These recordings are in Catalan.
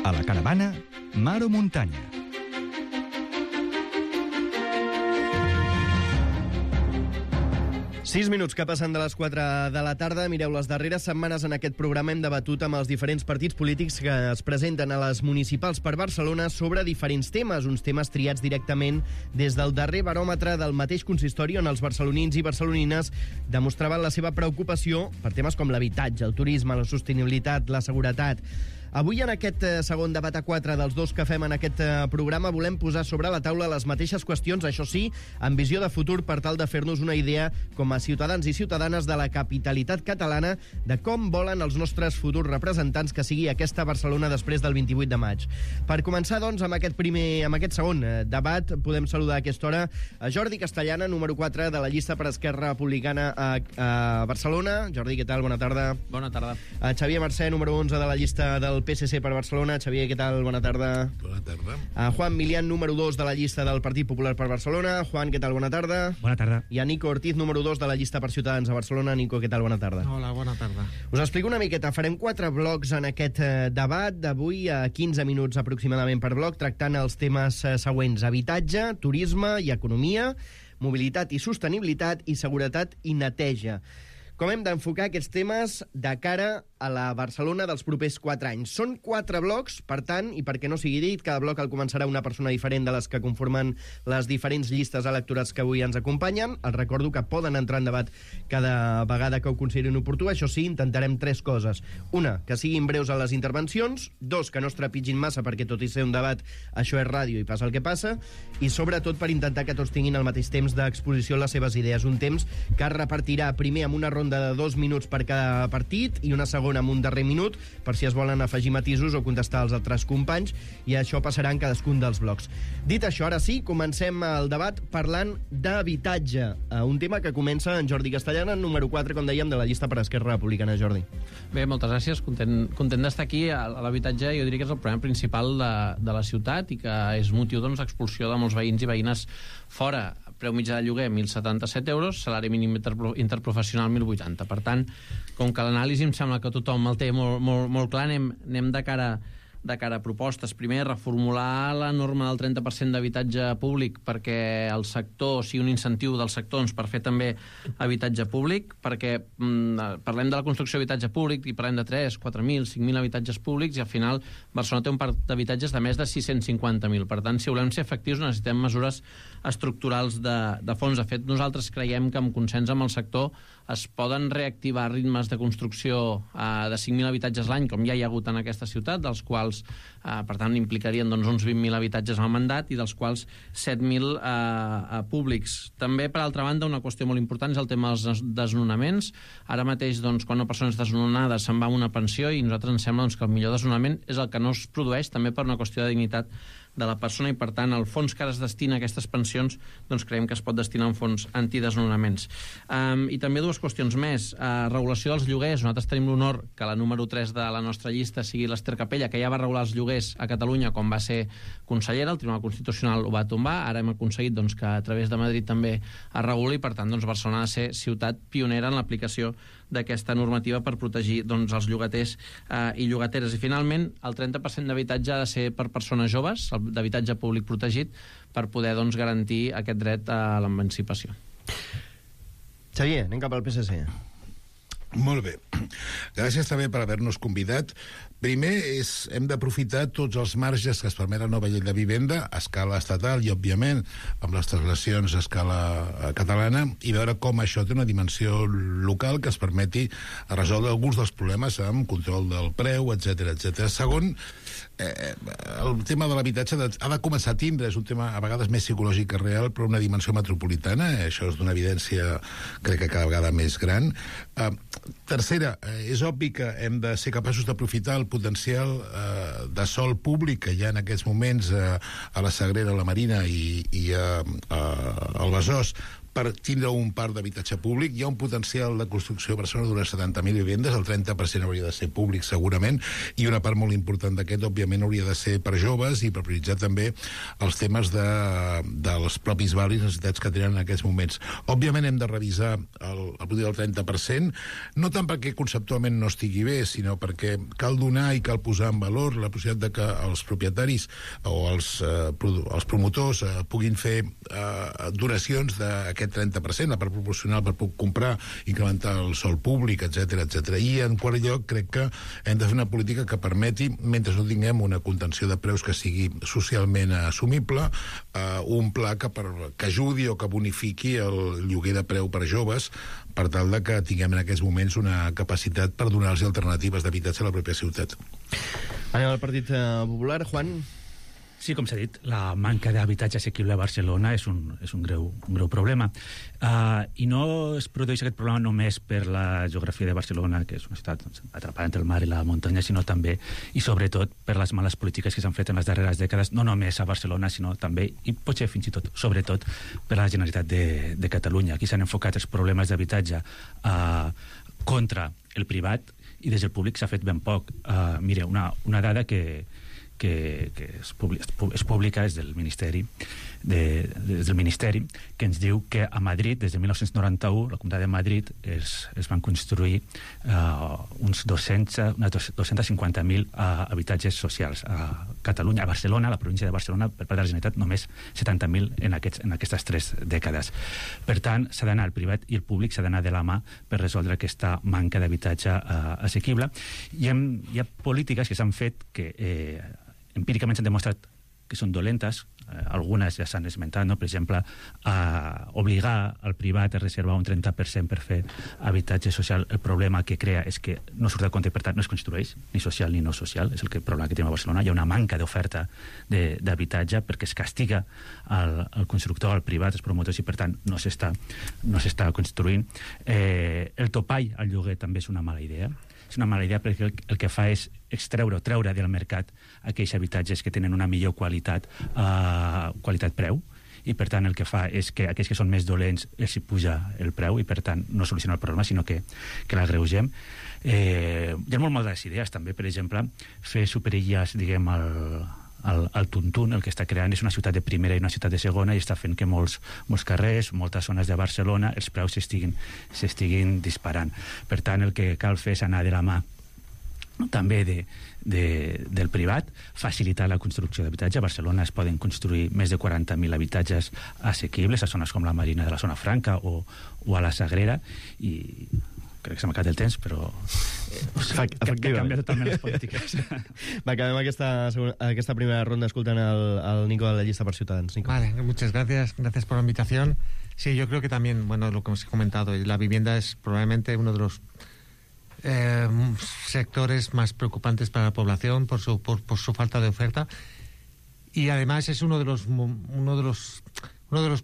A la caravana, mar o muntanya. Sis minuts que passen de les 4 de la tarda. Mireu, les darreres setmanes en aquest programa hem debatut amb els diferents partits polítics que es presenten a les municipals per Barcelona sobre diferents temes, uns temes triats directament des del darrer baròmetre del mateix consistori on els barcelonins i barcelonines demostraven la seva preocupació per temes com l'habitatge, el turisme, la sostenibilitat, la seguretat. Avui, en aquest segon debat a 4 dels dos que fem en aquest programa, volem posar sobre la taula les mateixes qüestions, això sí, amb visió de futur per tal de fer-nos una idea com a ciutadans i ciutadanes de la capitalitat catalana de com volen els nostres futurs representants que sigui aquesta Barcelona després del 28 de maig. Per començar, doncs, amb aquest segon debat, podem saludar a aquesta hora a Jordi Castellana, número 4 de la llista per Esquerra Republicana a Barcelona. Jordi, què tal? Bona tarda. Bona tarda. A Xavier Mercè, número 11 de la llista del PSC per Barcelona. Xavier, què tal? Bona tarda. Bona tarda. A Juan Milián, número 2 de la llista del Partit Popular per Barcelona. Juan, què tal? Bona tarda. Bona tarda. I a Nico Ortiz, número 2 de la llista per Ciutadans a Barcelona. Nico, què tal? Bona tarda. Hola, bona tarda. Us explico una miqueta. Farem 4 blocs en aquest debat d'avui, a 15 minuts aproximadament per bloc, tractant els temes següents: habitatge, turisme i economia, mobilitat i sostenibilitat i seguretat i neteja. Com hem d'enfocar aquests temes de cara a la Barcelona dels propers 4 anys? Són 4 blocs, per tant, i perquè no sigui dit, cada bloc el començarà una persona diferent de les que conformen les diferents llistes electorals que avui ens acompanyen. Els recordo que poden entrar en debat cada vegada que ho considerin oportú. Això sí, intentarem 3 coses. Una, que siguin breus a les intervencions. 2, que no es trepitgin massa, perquè tot i ser un debat, això és ràdio i passa el que passa. I sobretot per intentar que tots tinguin el mateix temps d'exposició a les seves idees. Un temps que es repartirà primer amb una ronda de 2 minuts per cada partit i una segona amb un darrer minut per si es volen afegir matisos o contestar als altres companys, i això passarà en cadascun dels blocs. Dit això, ara sí, comencem el debat parlant d'habitatge, un tema que comença en Jordi Castellana, número 4, com dèiem, de la llista per Esquerra Republicana. Jordi. Bé, moltes gràcies. Content d'estar aquí. L'habitatge jo diria que és el problema principal de la ciutat i que és motiu d'expulsió de molts veïns i veïnes fora. Preu mitjà de lloguer 1.077 euros, salari mínim interprofessional 1.080. Per tant, com que l'anàlisi em sembla que tothom el té molt clar, anem de cara a propostes. Primer, reformular la norma del 30% d'habitatge públic perquè el sector sigui un incentiu del sector per fer també habitatge públic, perquè parlem de la construcció d'habitatge públic i parlem de 3, 4.000, 5.000 habitatges públics i al final Barcelona té un parc d'habitatges de més de 650.000. Per tant, si volem ser efectius necessitem mesures estructurals de fons. De fet, nosaltres creiem que amb consens amb el sector es poden reactivar ritmes de construcció de 5.000 habitatges l'any, com ja hi ha hagut en aquesta ciutat, dels quals per tant implicarien uns 20.000 habitatges al mandat i dels quals 7.000 públics. També, per altra banda, una qüestió molt important és el tema dels desnonaments. Ara mateix, quan una persona és desnonada se'n va amb una pensió i a nosaltres ens sembla que el millor desnonament és el que no es produeix, també per una qüestió de dignitat de la persona, i per tant el fons que ara es destina a aquestes pensions creiem que es pot destinar a un fons antidesnonaments. I també 2 qüestions més. Regulació dels lloguers. Nosaltres tenim l'honor que la número 3 de la nostra llista sigui l'Ester Capella, que ja va regular els lloguers a Catalunya quan va ser consellera. El Tribunal Constitucional ho va tombar. Ara hem aconseguit que a través de Madrid també es reguli, i per tant Barcelona ha de ser ciutat pionera en l'aplicació d'aquesta normativa per protegir els llogaters i llogateres. I finalment, el 30% d'habitatge ha de ser per persones joves, d'habitatge públic protegit, per poder garantir aquest dret a l'emancipació. Xavier, anem cap al PSC. Molt bé. Gràcies també per haver-nos convidat. Primer, hem d'aprofitar tots els marges que es permet la nova llei de vivenda a escala estatal i, òbviament, amb les translacions a escala catalana, i veure com això té una dimensió local que es permeti resoldre alguns dels problemes amb control del preu, etc. Segon, el tema de l'habitatge ha de començar a tindre, és un tema a vegades més psicològic que real, però una dimensió metropolitana. Això és d'una evidència, crec que cada vegada més gran. Tercera, és obvi que hem de ser capaços d'aprofitar el potencial de sòl públic que hi ha en aquests moments a la Sagrera, a la Marina i al Besòs per tindre un parc d'habitatge públic. Hi ha un potencial de construcció a Barcelona d'unes 70.000 vivendes, el 30% hauria de ser públic segurament, i una part molt important d'aquest, òbviament, hauria de ser per joves i per prioritzar també els temes dels propis barris, necessitats que tenen en aquests moments. Òbviament hem de revisar el del 30%, no tant perquè conceptualment no estigui bé, sinó perquè cal donar i cal posar en valor la possibilitat de que els propietaris o els promotors puguin fer donacions d'aquest 30%, la part proporcional per comprar, incrementar el sòl públic, etc etc. I en quart lloc crec que hem de fer una política que permeti, mentre no tinguem una contenció de preus que sigui socialment assumible, un pla que ajudi o que bonifiqui el lloguer de preu per joves, per tal de que tinguem en aquests moments una capacitat per donar-los alternatives d'habitatge a la pròpia ciutat. Anem al Partit Popular. Juan? Sí, com s'ha dit, la manca d'habitatge assequible a Barcelona és un greu problema. I no es produeix aquest problema només per la geografia de Barcelona, que és una ciutat atrapada entre el mar i la muntanya, sinó també i sobretot per les males polítiques que s'han fet en les darreres dècades, no només a Barcelona, sinó també, i potser fins i tot, sobretot, per la Generalitat de Catalunya. Aquí s'han enfocat els problemes d'habitatge contra el privat i des del públic s'ha fet ben poc. Mire, una dada que és pública és del Ministeri, que ens diu que a Madrid, des de 1991, la Comunitat de Madrid, es van construir uns 250.000 habitatges socials. A Catalunya, a Barcelona, a la província de Barcelona, per part de la Generalitat, només 70.000 en aquestes 3 dècades. Per tant, s'ha d'anar al privat i el públic s'ha d'anar de la mà per resoldre aquesta manca d'habitatge assequible. Hi ha polítiques que s'han fet que empíricament s'han demostrat que són dolentes, algunes ja s'han esmentat, no? Per exemple, obligar al privat a reservar un 30% per fer habitatge social. El problema que crea és que no surt del compte i per tant no es construeix, ni social ni no social, és el problema que tenim a Barcelona. Hi ha una manca d'oferta d'habitatge perquè es castiga al constructor, al privat, als promotors, i per tant no s'està construint. El topall al lloguer també és una mala idea. És una mala idea perquè el que fa és treure del mercat aquells habitatges que tenen una millor qualitat-preu, i per tant el que fa és que aquells que són més dolents els hi puja el preu i per tant no soluciona el problema, sinó que l'agreugem. Hi ha molt moltes idees també, per exemple, fer superilles, diguem, al Tuntún. El que està creant és una ciutat de primera i una ciutat de segona i està fent que molts carrers, moltes zones de Barcelona, els preus s'estiguin disparant. Per tant, el que cal fer és anar de la mà també del privat, facilitar la construcció d'habitatge. A Barcelona es poden construir més de 40.000 habitatges assequibles a zones com la Marina de la Zona Franca o a la Sagrera, i crec que s'ha acabat el temps, però que canvia totalment les polítiques. Va, acabem aquesta primera ronda escoltant el Nico de la Llista per Ciutadans. Nico. Vale, muchas gracias por la invitación. Sí, yo creo que también, bueno, lo que hemos comentado, la vivienda es probablemente uno de los sectores más preocupantes para la población por su falta de oferta, y además es uno de los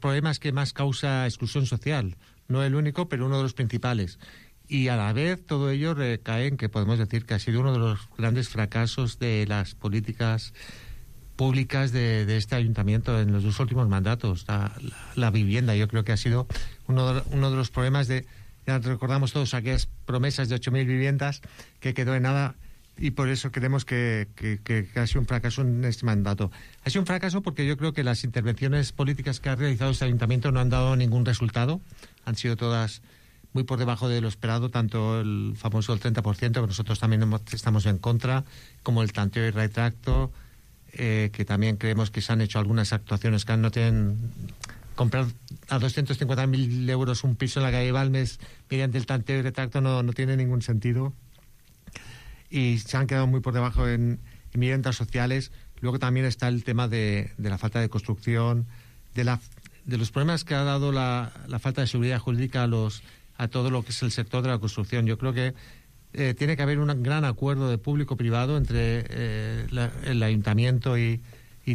problemas que más causa exclusión social. No el único, pero uno de los principales. Y a la vez todo ello recae en que podemos decir que ha sido uno de los grandes fracasos de las políticas públicas de este ayuntamiento en los 2 últimos mandatos. La vivienda, yo creo que ha sido uno de los problemas ya recordamos todos aquellas promesas de 8.000 viviendas que quedó en nada, y por eso creemos que ha sido un fracaso en este mandato. Ha sido un fracaso porque yo creo que las intervenciones políticas que ha realizado este ayuntamiento no han dado ningún resultado. Han sido todas muy por debajo de lo esperado, tanto el famoso del 30%, que nosotros también estamos en contra, como el tanteo y retracto, que también creemos que se han hecho algunas actuaciones que no tienen... Comprar a 250.000 euros un piso en la calle Balmes mediante el tanteo y retracto no tiene ningún sentido, y se han quedado muy por debajo en viviendas sociales. Luego también está el tema de la falta de construcción, de los problemas que ha dado la falta de seguridad jurídica a todo lo que es el sector de la construcción. Yo creo que tiene que haber un gran acuerdo de público-privado entre el ayuntamiento y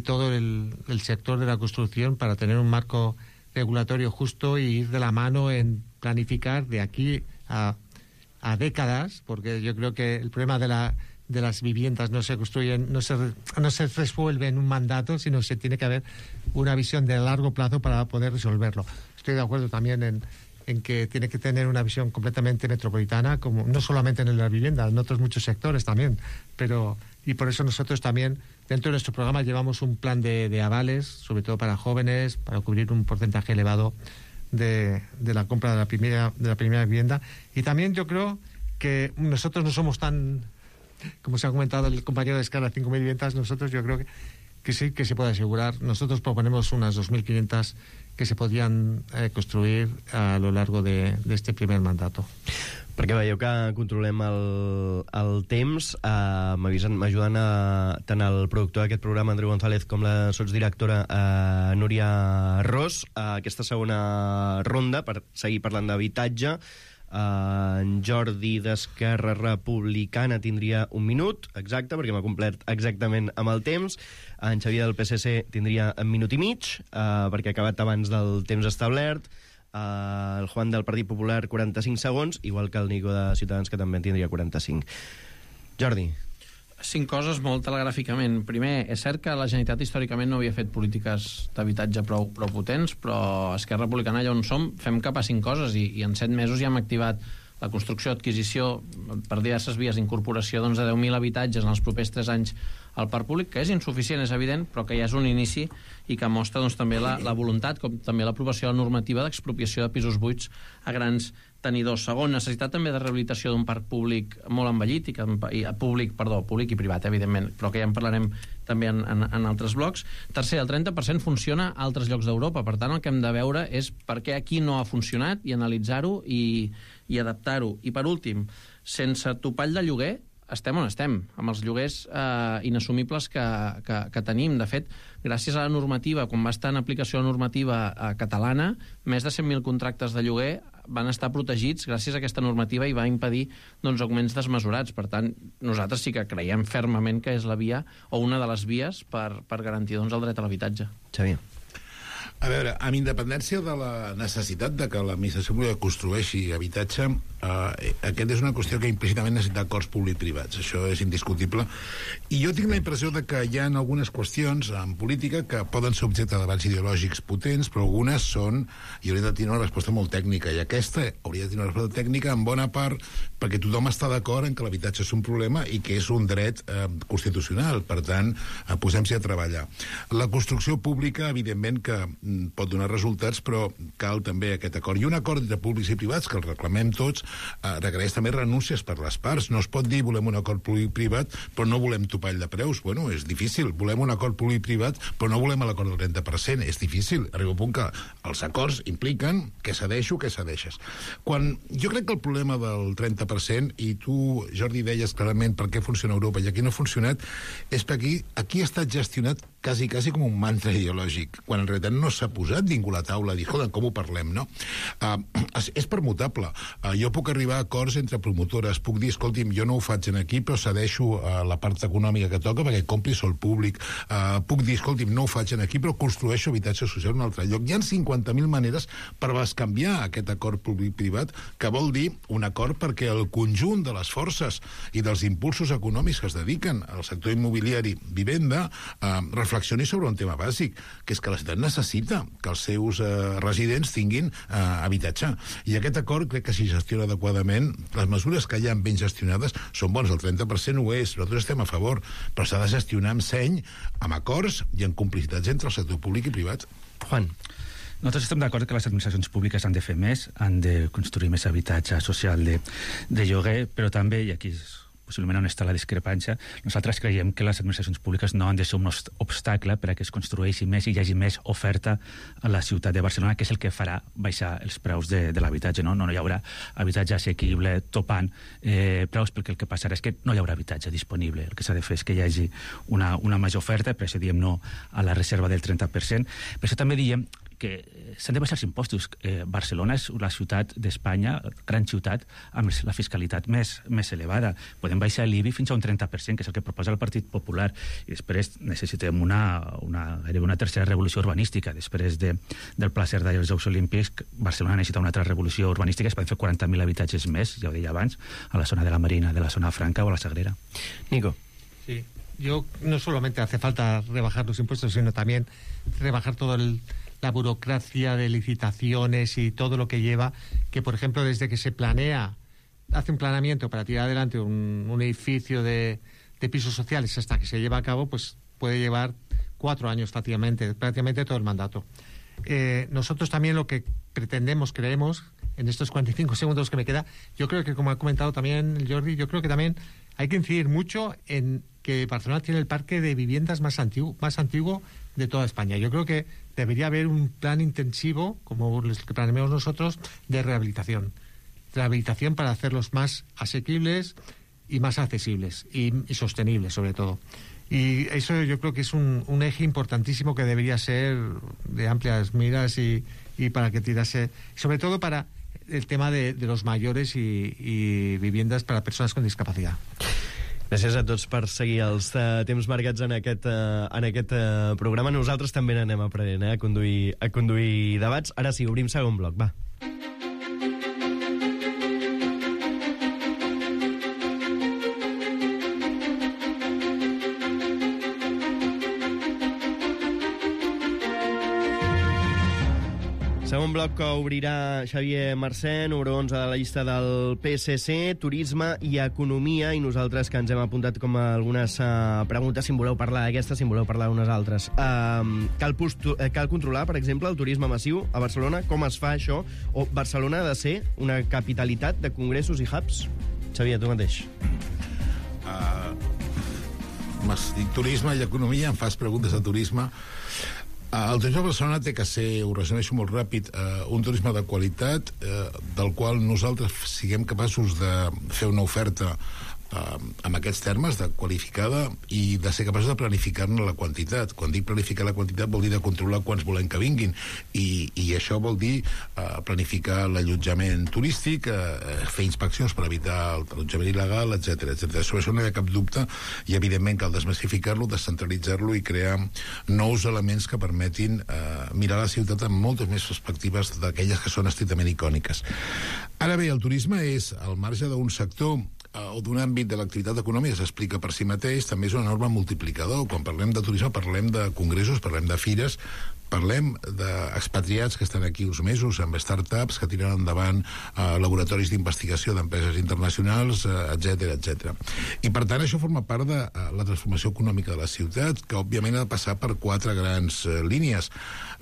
todo el sector de la construcción para tener un marco regulatorio justo y ir de la mano en planificar de aquí a décadas, porque yo creo que el problema de las viviendas no se construyen, no se resuelve en un mandato, sino que tiene que haber una visión de largo plazo para poder resolverlo. estoy de acuerdo también en que tiene que tener una visión completamente metropolitana, como no solamente en la vivienda, en otros muchos sectores también, y por eso nosotros también dentro de nuestro programa llevamos un plan de avales, sobre todo para jóvenes, para cubrir un porcentaje elevado de la compra de la primera vivienda. Y también yo creo que nosotros no somos tan, como se ha comentado el compañero de Escala, 5.000 viviendas. Nosotros yo creo que sí que se puede asegurar. Nosotros proponemos unas 2.500 que se podien construir a lo largo de este primer mandato. Perquè veieu que controlem el temps. M'ajuden tant el productor d'aquest programa, Andreu González, com la sotsdirectora Núria Ros. Aquesta segona ronda, per seguir parlant d'habitatge, en Jordi d'Esquerra Republicana tindria 1 minut, exacte, perquè m'ha complert exactament amb el temps. En Xavier del PSC tindria 1 minut i mig, perquè ha acabat abans del temps establert. El Juan del Partit Popular 45 segons, igual que el Nico de Ciutadans, que també en tindria 45. Jordi. 5 coses molt telegràficament. Primer, és cert que la Generalitat històricament no havia fet polítiques d'habitatge prou potents, però Esquerra Republicana, allà on som, fem cap a 5 coses i en 7 mesos ja hem activat la construcció, adquisició per diverses vies d'incorporació de 10.000 habitatges en els propers 3 anys al parc públic, que és insuficient, és evident, però que ja és un inici i que mostra també la voluntat, com també l'aprovació de la normativa d'expropiació de pisos buits a grans tenidors. Segon, necessitat també de rehabilitació d'un parc públic molt envellit, públic i privat, evidentment, però que ja en parlarem també en altres blocs. Tercer, el 30% funciona a altres llocs d'Europa, per tant el que hem de veure és per què aquí no ha funcionat i analitzar-ho i adaptar-ho. I per últim, sense topall de lloguer, estem on estem, amb els lloguers inassumibles que tenim. De fet, gràcies a la normativa, quan va estar en aplicació la normativa catalana, més de 100.000 contractes de lloguer van estar protegits gràcies a aquesta normativa i va impedir augments desmesurats. Per tant, nosaltres sí que creiem fermament que és la via o una de les vies per garantir el dret a l'habitatge. Xavier. A veure, amb independència de la necessitat de que l'administració pública construeixi habitatge, aquest és una qüestió que implícitament necessita acords públic-privats. Això és indiscutible. I jo tinc la impressió de que hi ha algunes qüestions en política que poden ser objecte de debats ideològics potents, però algunes són i haurien de tenir una resposta molt tècnica. I aquesta hauria de tenir una resposta tècnica en bona part perquè tothom està d'acord en que l'habitatge és un problema i que és un dret constitucional. Per tant, posem-s'hi a treballar. La construcció pública, evidentment, que pot donar resultats, però cal també aquest acord. I un acord entre públics i privats, que el reclamem tots, requereix també renúncies per les parts. No es pot dir volem un acord públic-privat, però no volem topall de preus. Bueno, és difícil. Volem un acord públic-privat, però no volem l'acord del 30%. És difícil. Arriba un punt que els acords impliquen que cedeixo, que cedeixes. Jo crec que el problema del 30%, i tu, Jordi, deies clarament per què funciona a Europa i aquí no ha funcionat, és perquè aquí ha estat gestionat quasi com un mantra ideològic, quan en realitat no s'ha posat ningú a la taula a dir, escolta, com ho parlem, no? És permutable. Jo puc arribar a acords entre promotores, puc dir, escolti'm, jo no ho faig aquí, però cedeixo la part econòmica que toca perquè compri sol públic. Puc dir, escolti'm, no ho faig aquí, però construeixo habitatge social en un altre lloc. Hi ha 50.000 maneres per bescanviar aquest acord públic-privat, que vol dir un acord perquè el conjunt de les forces i dels impulsos econòmics que es dediquen al sector immobiliari vivenda reflexioni sobre un tema bàsic, que és que la ciutat necessita que els seus residents tinguin habitatge. I aquest acord crec que si gestiona adequadament, les mesures que hi ha ben gestionades són bones. El 30% ho és, nosaltres estem a favor, però s'ha de gestionar amb seny, amb acords i amb complicitats entre el sector públic i privat. Juan. Nosaltres estem d'acord que les administracions públiques han de fer més, han de construir més habitatge social de lloguer, però també, i aquí possiblement on està la discrepància, nosaltres creiem que les administracions públiques no han de ser un obstacle per a que es construeixi més i hi hagi més oferta a la ciutat de Barcelona, que és el que farà baixar els preus de l'habitatge. No hi haurà habitatge assequible topant preus, perquè el que passarà és que no hi haurà habitatge disponible. El que s'ha de fer és que hi hagi una major oferta, per això diem no a la reserva del 30%. Per això també diem que s'han de baixar els impostos. Barcelona és la ciutat d'Espanya, gran ciutat, amb la fiscalitat més elevada. Podem baixar l'IBI fins a un 30%, que és el que proposa el Partit Popular. I després necessitem una tercera revolució urbanística. Després del Pla Cerdà i els Jocs Olímpics, Barcelona necessita una altra revolució urbanística. Es poden fer 40.000 habitatges més, ja ho deia abans, a la zona de la Marina, de la zona franca o a la Sagrera. Nico. Sí, yo no solamente hace falta rebajar los impuestos, sino también rebajar todo la burocracia de licitaciones y todo lo que lleva, que por ejemplo desde que se hace un planeamiento para tirar adelante un edificio de pisos sociales hasta que se lleva a cabo, pues puede llevar 4 años fácilmente, prácticamente todo el mandato. Nosotros también lo que creemos, en estos 45 segundos que me queda, yo creo que, como ha comentado también Jordi, yo creo que también hay que incidir mucho en que Barcelona tiene el parque de viviendas más antiguo de toda España. Yo creo que debería haber un plan intensivo, como el que planeamos nosotros, de rehabilitación para hacerlos más asequibles y más accesibles y sostenibles, sobre todo. Y eso yo creo que es un eje importantísimo que debería ser de amplias miras y para que tirase, sobre todo para el tema de los mayores i viviendas per a persones con discapacitat. Gràcies a tots per seguir els temps marcats en aquest programa. Nosaltres també n'anem aprenent a conduir debats. Ara sí, obrim segon bloc, va. Segon bloc que obrirà Xavier Marcén, número 11 de la llista del PSC, turisme i economia, i nosaltres que ens hem apuntat com a algunes preguntes, si en voleu parlar d'aquestes, si en voleu parlar d'unes altres. Cal controlar, per exemple, el turisme massiu a Barcelona? Com es fa això? O Barcelona ha de ser una capitalitat de congressos i hubs? Xavier, tu mateix. M'has dit turisme i economia, em fas preguntes de turisme. El turisme de Barcelona té que ser, ho resumeixo molt ràpid, un turisme de qualitat del qual nosaltres siguem capaços de fer una oferta amb aquests termes, de qualificada, i de ser capaços de planificar-ne la quantitat. Quan dic planificar la quantitat vol dir de controlar quants volem que vinguin, i això vol dir planificar l'allotjament turístic, fer inspeccions per evitar l'allotjament il·legal, etc. Sobre això no hi ha cap dubte, i evidentment cal desmassificar-lo, descentralitzar-lo i crear nous elements que permetin mirar la ciutat amb moltes més perspectives d'aquelles que són estrictament icòniques. Ara bé, el turisme és, al marge d'un sector o d'un àmbit de l'activitat econòmica, s'explica per si mateix, també és un enorme multiplicador. Quan parlem de turisme parlem de congressos, parlem de fires, parlem d'expatriats que estan aquí uns mesos amb startups que tiren endavant laboratoris d'investigació d'empreses internacionals, etc. I per tant això forma part de la transformació econòmica de la ciutat, que òbviament ha de passar per 4 grans línies.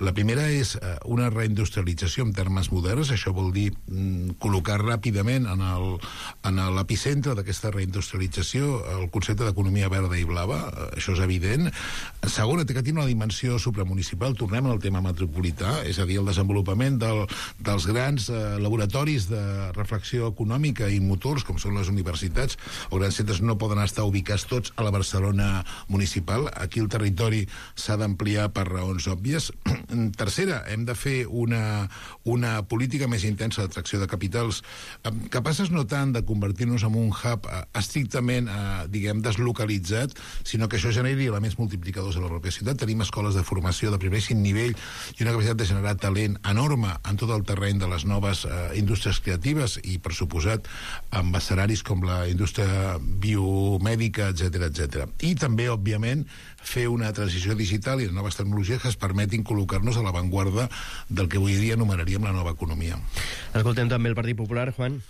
La primera és una reindustrialització en termes moderns. Això vol dir col·locar ràpidament en l'epicentre d'aquesta reindustrialització el concepte d'economia verda i blava. Això és evident. Segona, té que tenir una dimensió supramunicipal. Tornem al tema metropolità, és a dir, el desenvolupament dels grans laboratoris de reflexió econòmica i motors, com són les universitats o grans centres, no poden estar ubicats tots a la Barcelona municipal. Aquí el territori s'ha d'ampliar per raons òbvies. Tercera, hem de fer una política més intensa d'atracció de capitals, capaces no tant de convertir-nos en un hub estrictament, diguem, deslocalitzat, sinó que això generi elements multiplicadors a la pròpia ciutat. Tenim escoles de formació de primíssim nivell i una capacitat de generar talent enorme en tot el terreny de les noves indústries creatives i, per suposat, amb escenaris com la indústria biomèdica, etc. I també, òbviament, fer una transició digital i de noves tecnologies que es permetin col·locar-nos a l'avantguarda del que avui dia anomenaríem la nova economia. Escoltem també el Partit Popular, Juan.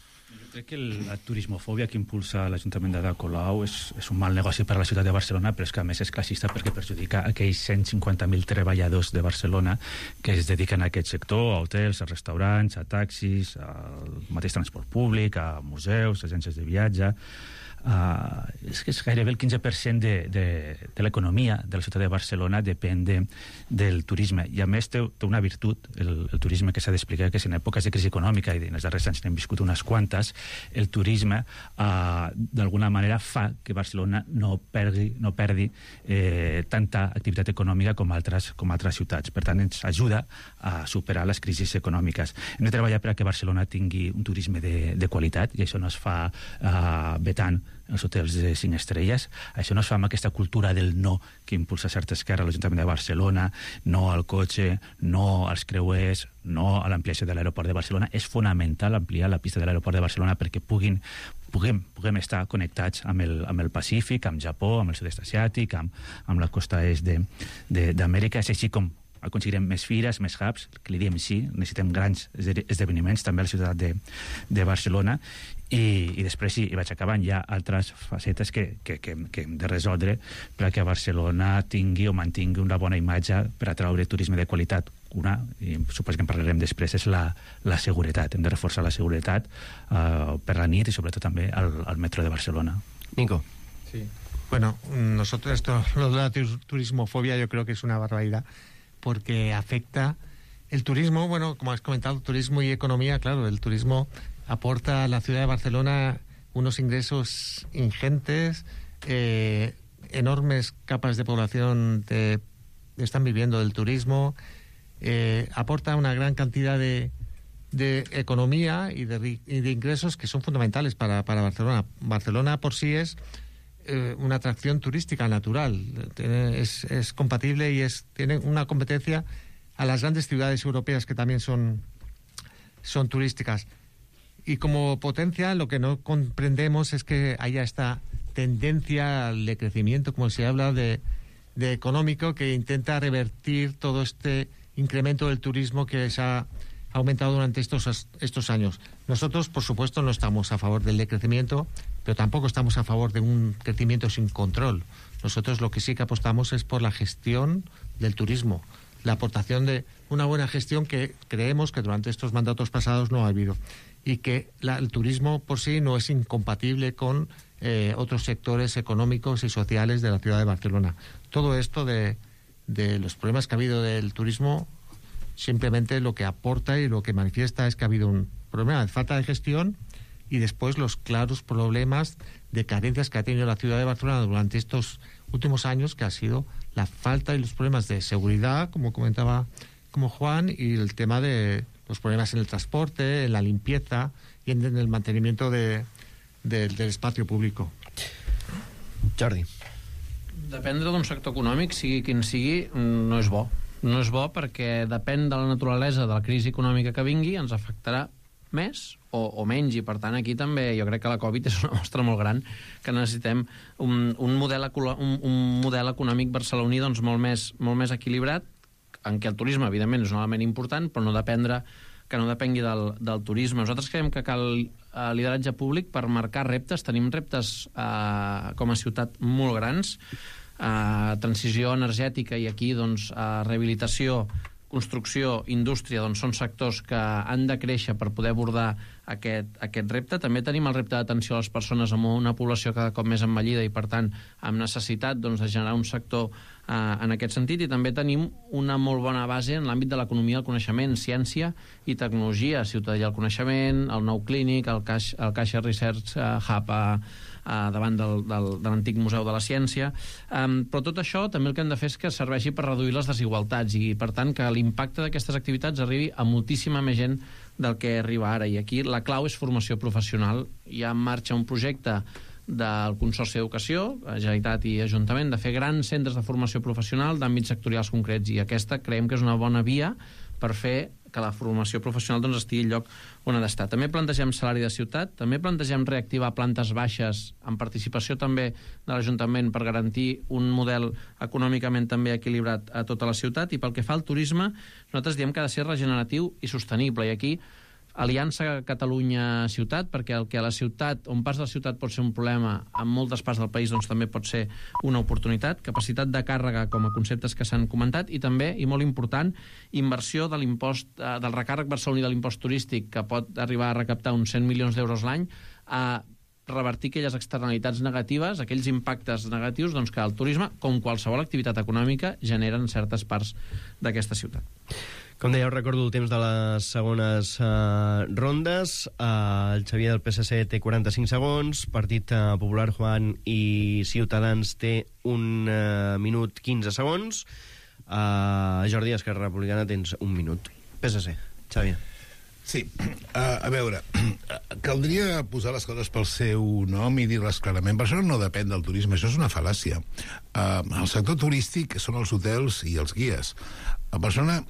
Crec que la turismofòbia que impulsa l'Ajuntament d'Ada Colau és un mal negoci per a la ciutat de Barcelona, però és que a més és classista perquè perjudica aquells 150.000 treballadors de Barcelona que es dediquen a aquest sector, a hotels, a restaurants, a taxis, al mateix transport públic, a museus, agències de viatge. És que és gairebé el 15% de l'economia de la ciutat de Barcelona depèn del turisme, i a més té una virtut el turisme, que s'ha d'explicar, que si en èpoques de crisi econòmica, i en els darrers anys n'hem viscut unes quantes, el turisme d'alguna manera fa que Barcelona no perdi tanta activitat econòmica com altres ciutats. Per tant, ens ajuda a superar les crisis econòmiques. Hem de treballar perquè Barcelona tingui un turisme de qualitat, i això no es fa vetant els hotels de 5 estrelles. Això no es fa amb aquesta cultura del no que impulsa certa esquerra a l'Ajuntament de Barcelona, no al cotxe, no als creuers, no a l'ampliació de l'aeroport de Barcelona. És fonamental ampliar la pista de l'aeroport de Barcelona perquè puguem estar connectats amb el Pacífic, amb Japó, amb el sud-est asiàtic, amb la costa est d'Amèrica, és així com aconseguirem més fires, més hubs, que li diem sí, necessitem grans esdeveniments també a la ciutat de Barcelona, i després sí, i vaig acabant, hi ha altres facetes que hem de resoldre perquè Barcelona tingui o mantingui una bona imatge per atraure turisme de qualitat. Una, i suposo que en parlarem després, és la seguretat. Hem de reforçar la seguretat per la nit i sobretot també al metro de Barcelona. Nico. Sí. Bueno, nosotros lo de la turismofobia yo creo que es una barbaridad porque afecta el turismo, bueno, como has comentado, turismo y economía, claro, el turismo aporta a la ciudad de Barcelona unos ingresos ingentes, enormes capas de población están viviendo del turismo, aporta una gran cantidad de economía y de ingresos que son fundamentales para Barcelona. Barcelona por sí es una atracción turística natural, es compatible y tiene una competencia a las grandes ciudades europeas que también son turísticas. Y como potencia lo que no comprendemos es que haya esta tendencia al decrecimiento, como se habla de económico, que intenta revertir todo este incremento del turismo que se ha aumentado durante estos años. Nosotros, por supuesto, no estamos a favor del decrecimiento, pero tampoco estamos a favor de un crecimiento sin control. Nosotros lo que sí que apostamos es por la gestión del turismo, la aportación de una buena gestión que creemos que durante estos mandatos pasados no ha habido, y que el turismo por sí no es incompatible con otros sectores económicos y sociales de la ciudad de Barcelona. Todo esto de los problemas que ha habido del turismo, simplemente lo que aporta y lo que manifiesta es que ha habido un problema de falta de gestión y después los claros problemas de carencias que ha tenido la ciudad de Barcelona durante estos últimos años, que ha sido la falta y los problemas de seguridad, como comentaba como Juan, y el tema de los problemas en el transporte, en la limpieza y en el mantenimiento del espacio público. Jordi. Dependre d'un sector econòmic, sigui quin sigui, no és bo. No és bo perquè depèn de la naturalesa de la crisi econòmica que vingui, ens afectarà més o menys, i per tant aquí també jo crec que la Covid és una mostra molt gran que necessitem un model econòmic barceloní doncs molt més equilibrat, en què el turisme evidentment és un element important, però que no depengui del turisme. Nosaltres creiem que cal lideratge públic per marcar reptes. Tenim reptes com a ciutat molt grans, transició energètica, i aquí doncs rehabilitació, construcció, indústria, doncs són sectors que han de créixer per poder abordar aquest repte. També tenim el repte d'atenció a les persones amb una població cada cop més envellida i per tant amb necessitat doncs, de generar un sector en aquest sentit, i també tenim una molt bona base en l'àmbit de l'economia del coneixement, ciència i tecnologia, ciutadania del coneixement, el nou clínic, el Caixa Research Hub davant de l'antic Museu de la Ciència, però tot això també el que hem de fer és que serveixi per reduir les desigualtats i per tant que l'impacte d'aquestes activitats arribi a moltíssima més gent del que arriba ara, i aquí la clau és formació professional. Hi ha en marxa un projecte del Consorci d'Educació, Generalitat i Ajuntament, de fer grans centres de formació professional d'àmbits sectorials concrets, i aquesta creiem que és una bona via per fer que la formació professional doncs, estigui al lloc on ha d'estar. També plantegem salari de ciutat, també plantegem reactivar plantes baixes amb participació també de l'Ajuntament per garantir un model econòmicament també equilibrat a tota la ciutat, i pel que fa al turisme, nosaltres diem que ha de ser regeneratiu i sostenible, i aquí Aliança Catalunya-Ciutat, perquè el que a la ciutat, on pas de la ciutat pot ser un problema, en moltes parts del país doncs, també pot ser una oportunitat. Capacitat de càrrega com a conceptes que s'han comentat, i també, i molt important, inversió de l'impost, del recàrrec barceloní de l'impost turístic, que pot arribar a recaptar uns 100 milions d'euros l'any, a revertir aquelles externalitats negatives, aquells impactes negatius doncs, que el turisme, com qualsevol activitat econòmica, genera en certes parts d'aquesta ciutat. Com dèieu, recordo el temps de les segones rondes. El Xavier del PSC té 45 segons, Partit Popular, Juan, i Ciutadans té 1 minut 15 segons. Jordi, Esquerra Republicana, tens 1 minut. PSC, Xavier. Sí, a veure, caldria posar les coses pel seu nom i dir-les clarament. Barcelona no depèn del turisme, això és una fal·làcia. El sector turístic són els hotels i els guies. Barcelona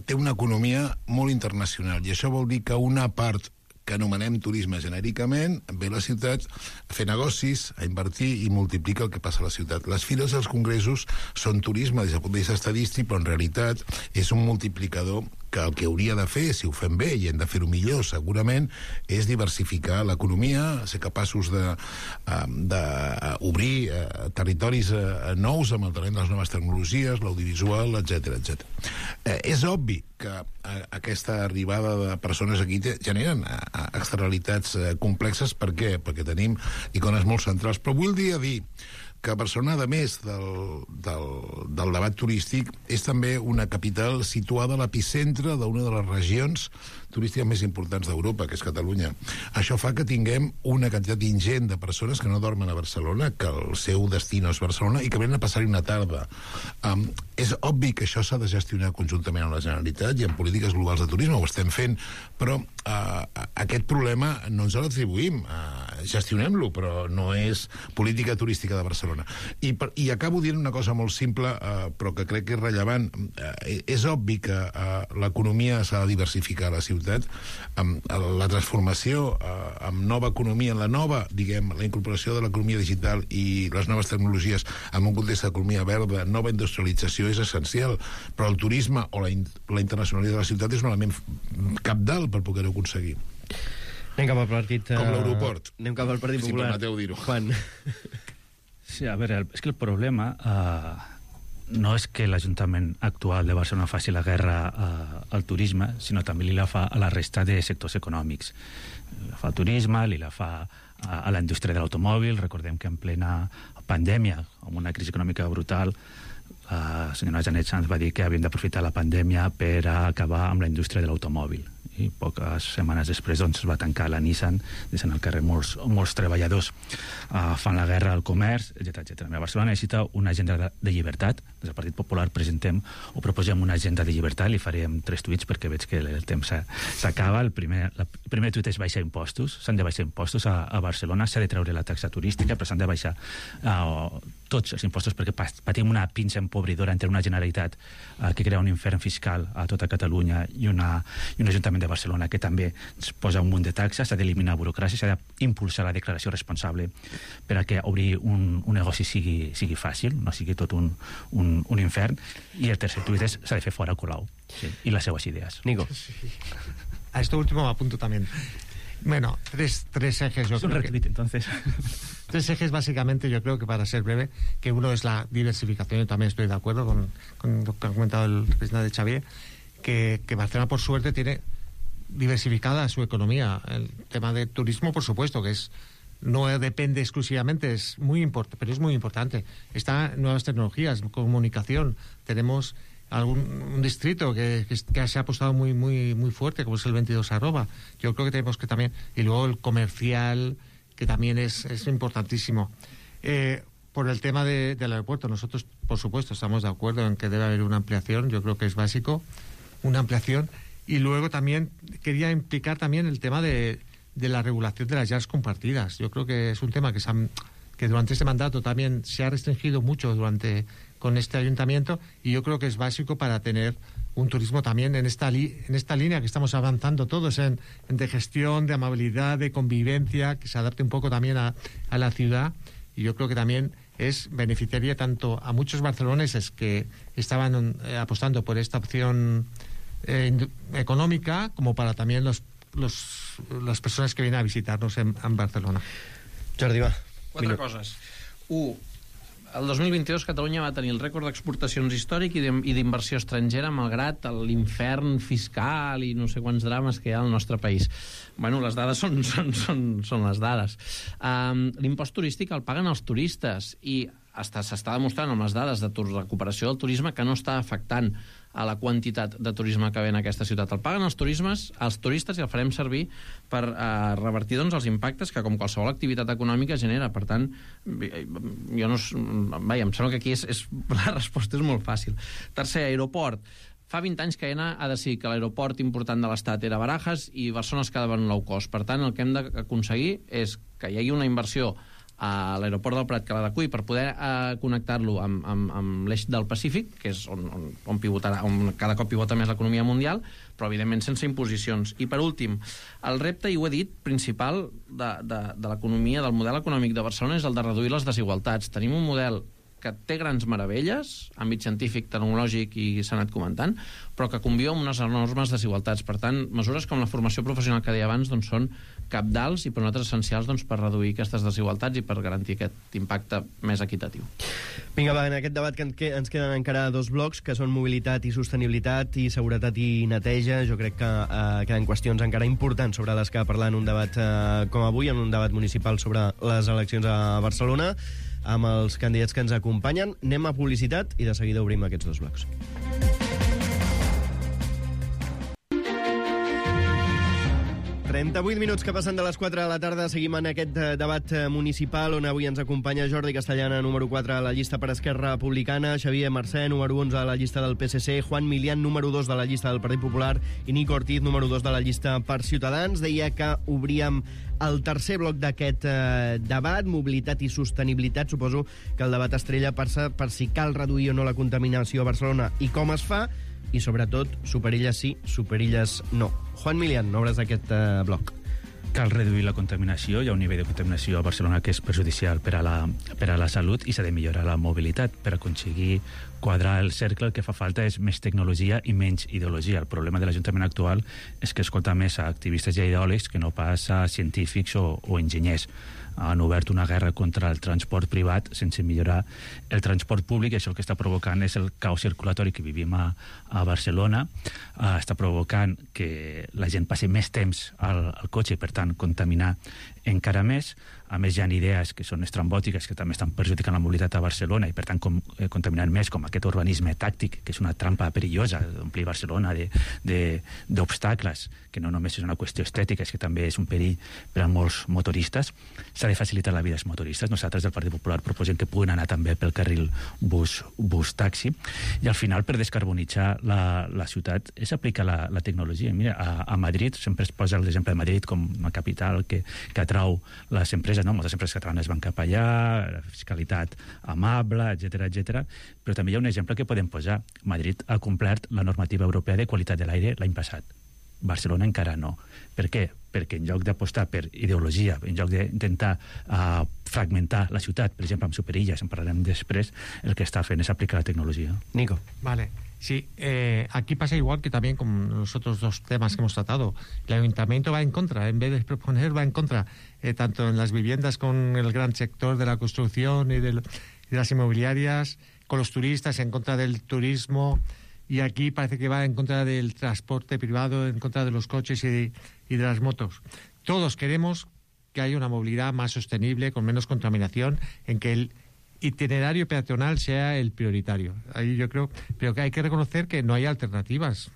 té una economia molt internacional, i això vol dir que una part que anomenem turisme genèricament, ve a la ciutat a fer negocis, a invertir i multiplica el que passa a la ciutat. Les fires i els congressos són turisme des del punt de vista estadístic, però en realitat és un multiplicador que el que hauria de fer, si ho fem bé, i hem de fer-ho millor, segurament, és diversificar l'economia, ser capaços d'obrir territoris nous amb el talent de les noves tecnologies, l'audiovisual, etc. És obvi que aquesta arribada de persones aquí generen externalitats complexes. Per què? Perquè tenim icones molt centrals. Però vull dir que Barcelona, a més del debat turístic, és també una capital situada a l'epicentre d'una de les regions turístiques més importants d'Europa, que és Catalunya. Això fa que tinguem una quantitat ingent de persones que no dormen a Barcelona, que el seu destí no és Barcelona, i que venen a passar-hi una tarda. És obvi que això s'ha de gestionar conjuntament amb la Generalitat i amb polítiques globals de turisme, ho estem fent, però aquest problema no ens l'atribuïm, gestionem-lo, però no és política turística de Barcelona. I acabo dient una cosa molt simple, però que crec que és rellevant. És obvi que l'economia s'ha de diversificar a la ciutat. La transformació amb nova economia, en la incorporació de l'economia digital i les noves tecnologies en un context d'economia verda, nova industrialització és essencial, però el turisme o la internacionalitat de la ciutat és un element cabdal per poder-ho aconseguir. Anem cap al partit... Com l'aeroport. Anem cap al Partit Popular. Si permeteu dir-ho. Juan. Sí, a veure, és que el problema no és que l'Ajuntament actual de Barcelona faci la guerra al turisme, sinó també li la fa a la resta de sectors econòmics. La fa al turisme, li la fa a la indústria de l'automòbil. Recordem que en plena pandèmia, amb una crisi econòmica brutal, la senyora Janet Sanz va dir que havien d'aprofitar la pandèmia per acabar amb la indústria de l'automòbil. I poques setmanes després es va tancar la Nissan, deixant al carrer molts treballadors. Fan la guerra al comerç, etc. Barcelona necessita una agenda de llibertat. Des del Partit Popular proposem una agenda de llibertat. Li farem 3 tuits perquè veig que el temps s'acaba. El primer tuit és baixar impostos. S'han de baixar impostos a Barcelona. S'ha de treure la taxa turística, però s'han de baixar tots els impostos perquè patim una pinça empobridora entre una Generalitat que crea un infern fiscal a tota Catalunya i un Ajuntament de Barcelona que també es posa un munt de taxes. S'ha d'eliminar burocràcia, s'ha d'impulsar la declaració responsable per a que obrir un negoci sigui fàcil, no sigui tot un infern. I el tercer tuit és s'ha de fer fora Colau i las seves ideas. Nico. A esto último me apunto también. Bueno, tres ejes. Es un retweet, entonces. 3 ejes, básicamente, yo creo que para ser breve, que uno es la diversificación. Yo también estoy de acuerdo con lo que ha comentado el presidente de Xavier, que Barcelona, por suerte, tiene diversificada su economía. El tema del turismo, por supuesto, que no depende exclusivamente, es muy importante, pero es muy importante. Están nuevas tecnologías, comunicación. Tenemos un distrito que se ha apostado muy fuerte, como es el 22 Arroba. Yo creo que tenemos que también... Y luego el comercial, que también es importantísimo. Por el tema del aeropuerto, nosotros, por supuesto, estamos de acuerdo en que debe haber una ampliación. Yo creo que es básico, una ampliación. Y luego también quería implicar también el tema de la regulación de las llaves compartidas. Yo creo que es un tema que durante este mandato también se ha restringido mucho con este ayuntamiento, y yo creo que es básico para tener un turismo también en esta línea que estamos avanzando todos de gestión, de amabilidad, de convivencia, que se adapte un poco también a la ciudad. Y yo creo que también beneficiaría tanto a muchos barceloneses que estaban apostando por esta opción econòmica, como para también las personas que vienen a visitarnos en Barcelona. Jordi, va. 4 coses. 1. El 2022 Catalunya va tenir el rècord d'exportacions històric i d'inversió estrangera, malgrat l'infern fiscal i no sé quants drames que hi ha al nostre país. Bueno, les dades són les dades. L'impost turístic el paguen els turistes i s'està demostrant amb les dades de recuperació del turisme que no està afectant a la quantitat de turisme que ve en aquesta ciutat. El paguen els turistes i el farem servir per revertir els impactes que, com qualsevol activitat econòmica, genera. Per tant, em sembla que aquí la resposta és molt fàcil. Tercer, aeroport. Fa 20 anys que AENA ha decidit que l'aeroport important de l'Estat era Barajas i Barcelona es quedava en low cost. Per tant, el que hem d'aconseguir és que hi hagi una inversió a l'aeroport del Prat que l'Adecuï per poder connectar-lo amb l'eix del Pacífic, que és on pivotarà, on cada cop pivota més l'economia mundial, però evidentment sense imposicions. I per últim, el repte, i ho he dit, principal de l'economia, del model econòmic de Barcelona és el de reduir les desigualtats. Tenim un model que té grans meravelles, àmbit científic, tecnològic, i s'ha anat comentant, però que conviu amb unes enormes desigualtats. Per tant, mesures com la formació professional que deia abans doncs, són cabdals i per nosaltres essencials doncs, per reduir aquestes desigualtats i per garantir aquest impacte més equitatiu. Vinga, va, en aquest debat que ens queden encara 2 blocs, que són mobilitat i sostenibilitat i seguretat i neteja. Jo crec que queden qüestions encara importants sobre les que parlar en un debat com avui, en un debat municipal sobre les eleccions a Barcelona, amb els candidats que ens acompanyen. Anem a publicitat i de seguida obrim aquests 2 blocs. ...38 minuts que passen de les 4 de la tarda. Seguim en aquest debat municipal on avui ens acompanya Jordi Castellana, número 4 a la llista per Esquerra Republicana, Xavier Mercè, número 11 a la llista del PSC, Juan Milián, número 2 de la llista del Partit Popular, i Nico Ortiz, número 2 de la llista per Ciutadans. Deia que obríem el tercer bloc d'aquest debat, mobilitat i sostenibilitat. Suposo que el debat estrella passa per si cal reduir o no la contaminació a Barcelona i com es fa, i sobretot, superilles sí, superilles no. Juan Milián, obres d'aquest bloc. Cal reduir la contaminació. Hi ha un nivell de contaminació a Barcelona que és perjudicial per a la salut, i s'ha de millorar la mobilitat. Per aconseguir quadrar el cercle, el que fa falta és més tecnologia i menys ideologia. El problema de l'Ajuntament actual és que escolta més a activistes i ideòlegs que no pas a científics o enginyers. Han obert una guerra contra el transport privat sense millorar el transport públic, i això el que està provocant és el caos circulatori que vivim a Barcelona. Està provocant que la gent passi més temps al cotxe i, per tant, contaminar encara més. A més, hi ha idees que són estrambòtiques que també estan perjudicant la mobilitat a Barcelona i, per tant, contaminant més, com aquest urbanisme tàctic, que és una trampa perillosa d'omplir Barcelona d'obstacles, que no només és una qüestió estètica, és que també és un perill per a molts motoristes. S'ha de facilitar la vida als motoristes. Nosaltres del Partit Popular proposem que puguin anar també pel carril bus-taxi. I al final, per descarbonitzar la ciutat, és aplicar la tecnologia. Mira, a Madrid, sempre es posa l'exemple de Madrid com una capital que atrau les empreses, no? Moltes empreses catalanes van cap allà, la fiscalitat amable, etc. Però també hi ha un exemple que podem posar. Madrid ha complert la normativa europea de qualitat de l'aire l'any passat. Barcelona encara no. Per què? Perquè en lloc d'apostar per ideologia, en lloc d'intentar fragmentar la ciutat, per exemple, amb superilles, en parlarem després, el que està fent és aplicar la tecnologia. Nico. Vale. Sí, aquí pasa igual que también con los otros 2 temas que hemos tratado. El Ayuntamiento va en contra, en vez de proponer, va en contra, tanto en las viviendas con el gran sector de la construcción y de las inmobiliarias, con los turistas, en contra del turismo, y aquí parece que va en contra del transporte privado, en contra de los coches y de las motos. Todos queremos que haya una movilidad más sostenible, con menos contaminación, en que el itinerario peatonal sea el prioritario. Ahí yo creo, pero que hay que reconocer que no hay alternativas.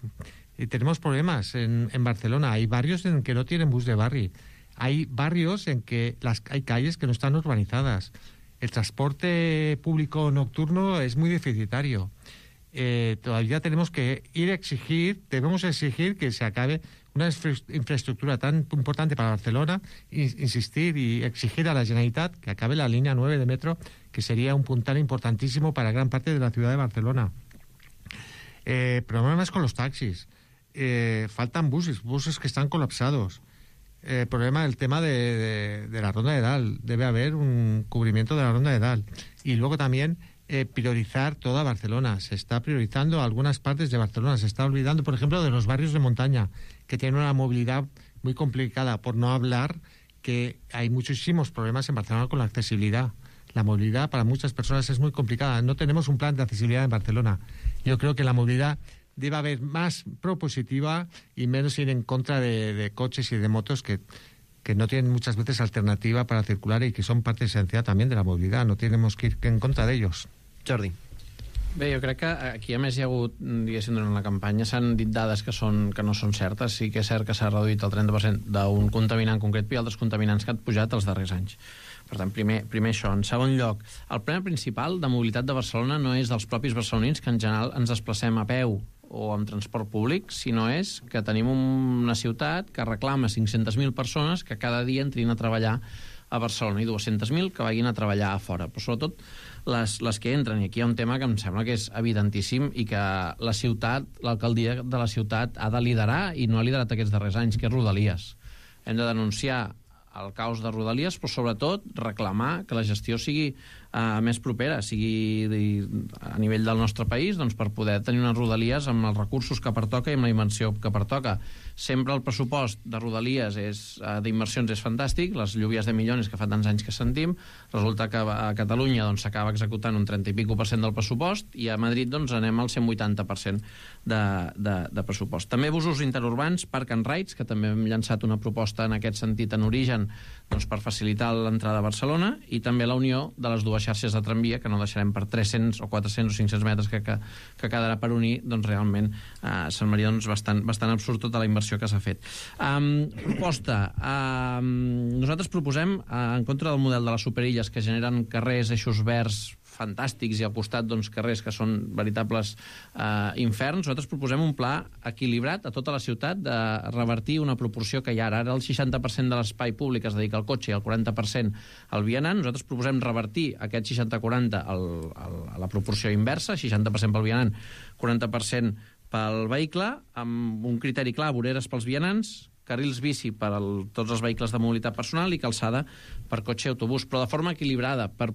Y tenemos problemas en Barcelona. Hay barrios en que no tienen bus de barri. Hay barrios en que hay calles que no están urbanizadas. El transporte público nocturno es muy deficitario. Todavía tenemos que debemos exigir que se acabe una infraestructura tan importante para Barcelona, insistir y exigir a la Generalitat que acabe la línea 9 de metro, que sería un puntal importantísimo para gran parte de la ciudad de Barcelona. Problemas con los taxis. Faltan buses que están colapsados. Problema del tema de la Ronda de Dalt. Debe haber un cubrimiento de la Ronda de Dalt. Y luego también priorizar toda Barcelona. Se está priorizando algunas partes de Barcelona. Se está olvidando, por ejemplo, de los barrios de montaña, que tienen una movilidad muy complicada, por no hablar que hay muchísimos problemas en Barcelona con la accesibilidad. La movilidad para muchas personas es muy complicada. No tenemos un plan de accesibilidad en Barcelona. Yo creo que la movilidad debe haber más propositiva y menos ir en contra de coches y de motos que no tienen muchas veces alternativa para circular y que son parte esencial también de la movilidad. No tenemos que ir en contra de ellos. Jordi. Bé, jo crec que aquí, a més, hi ha hagut, diguéssim, durant la campanya, s'han dit dades que no són certes. Sí que és cert que s'ha reduït el 30% d'un contaminant concret, però hi ha altres contaminants que han pujat els darrers anys. Per tant, primer això. En segon lloc, el problema principal de mobilitat de Barcelona no és dels propis barcelonins, que en general ens desplacem a peu o amb transport públic, sinó és que tenim una ciutat que reclama 500.000 persones que cada dia entrin a treballar a Barcelona i 200.000 que vagin a treballar a fora. Però sobretot les que entren, i aquí hi ha un tema que em sembla que és evidentíssim i que la ciutat, l'alcaldia de la ciutat ha de liderar i no ha liderat aquests darrers anys, que és Rodalies. Hem de denunciar el caos de Rodalies, però sobretot reclamar que la gestió sigui més propera, sigui a nivell del nostre país, doncs, per poder tenir unes Rodalies amb els recursos que pertoca i amb la dimensió que pertoca. Sempre el pressupost de Rodalies d'inversions és fantàstic, les lluvies de milions que fa tants anys que sentim, resulta que a Catalunya s'acaba executant un 30 i pico % del pressupost i a Madrid anem al 180% de pressupost. També busos interurbans, Park and Rides, que també hem llançat una proposta en aquest sentit en origen per facilitar l'entrada a Barcelona, i també la unió de les dues xarxes de tramvia, que no deixarem per 300 o 400 o 500 metres que quedarà per unir, realment semblaria bastant absurd tota la inversió que s'ha fet. Proposta. Nosaltres proposem, en contra del model de les superilles que generen carrers, eixos verds fantàstics i al costat carrers que són veritables inferns, nosaltres proposem un pla equilibrat a tota la ciutat de revertir una proporció que hi ha ara. Ara el 60% de l'espai públic es dedica al cotxe i el 40% al vianant. Nosaltres proposem revertir aquest 60-40 a la proporció inversa, 60% pel vianant, 40% pel vehicle, amb un criteri clar, voreres pels vianants, carrils bici per tots els vehicles de mobilitat personal i calçada per cotxe i autobús, però de forma equilibrada per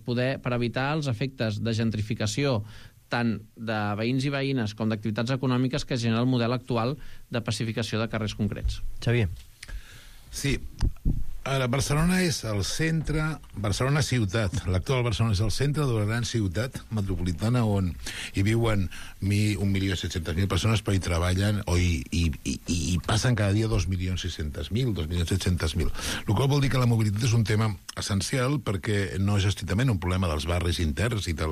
evitar els efectes de gentrificació tant de veïns i veïnes com d'activitats econòmiques que genera el model actual de pacificació de carrers concrets. Xavier. Sí. Ara, Barcelona és el centre, Barcelona ciutat. L'actual Barcelona és el centre d'una gran ciutat metropolitana on hi viuen 1.700.000 persones, però hi treballen i passen cada dia 2.600.000, 2.700.000. El qual vol dir que la mobilitat és un tema essencial perquè no és estrictament un problema dels barris interns i de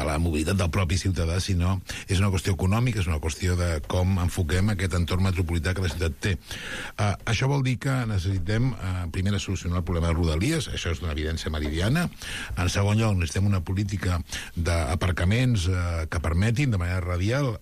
la mobilitat del propi ciutadà, sinó és una qüestió econòmica, és una qüestió de com enfoquem aquest entorn metropolità que la ciutat té. Això vol dir que necessitem primer, solucionar el problema de Rodalies, això és d'una evidència meridiana. En segon lloc, necessitem una política d'aparcaments que permetin de manera radial,